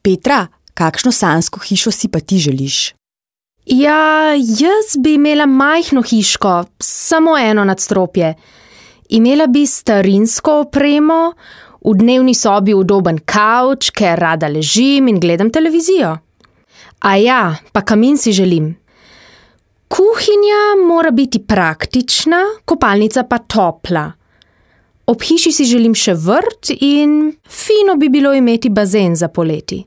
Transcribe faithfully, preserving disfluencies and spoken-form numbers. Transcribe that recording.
Petra, kakšno sanjsko hišo si pa ti želiš? Ja, jaz bi imela majhno hiško, samo eno nadstropje. Imela bi starinsko opremo, v dnevni sobi udoben kavč, ker rada ležim in gledam televizijo. A ja, pa kamin si želim. Kuhinja mora biti praktična, kopalnica pa topla. Ob hiši si želim še vrt in fino bi bilo imeti bazen za poleti.